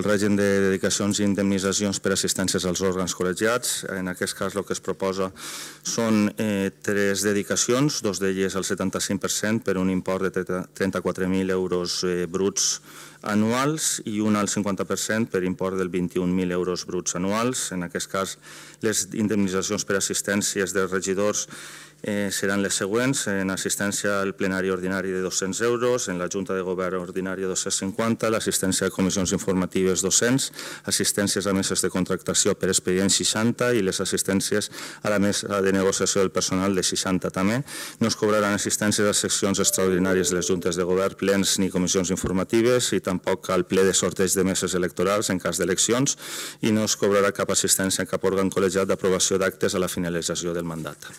el règim de dedicacions i indemnitzacions per assistències als òrgans col·legiats. En aquest cas el que es proposa són 3 dedicacions, 2 d'elles al 75% per un import de 34.000 euros bruts anuals i una al 50% per import del 21.000 euros bruts anuals. En aquest cas, les indemnitzacions per assistències dels regidors seran les següents: en assistència al plenari ordinari de 200 euros, en la Junta de Govern ordinària 250, l'assistència a comissions informatives 200, assistències a meses de contractació per expedient 60 i les assistències a la mesa de negociació del personal de 60 també. No es cobraran assistències a seccions extraordinàries de les Juntes de Govern, plens ni comissions informatives i tampoc al ple de sorteig de meses electorals en cas d'eleccions i no es cobrarà cap assistència a cap òrgan col·legiat d'aprovació d'actes a la finalització del mandat.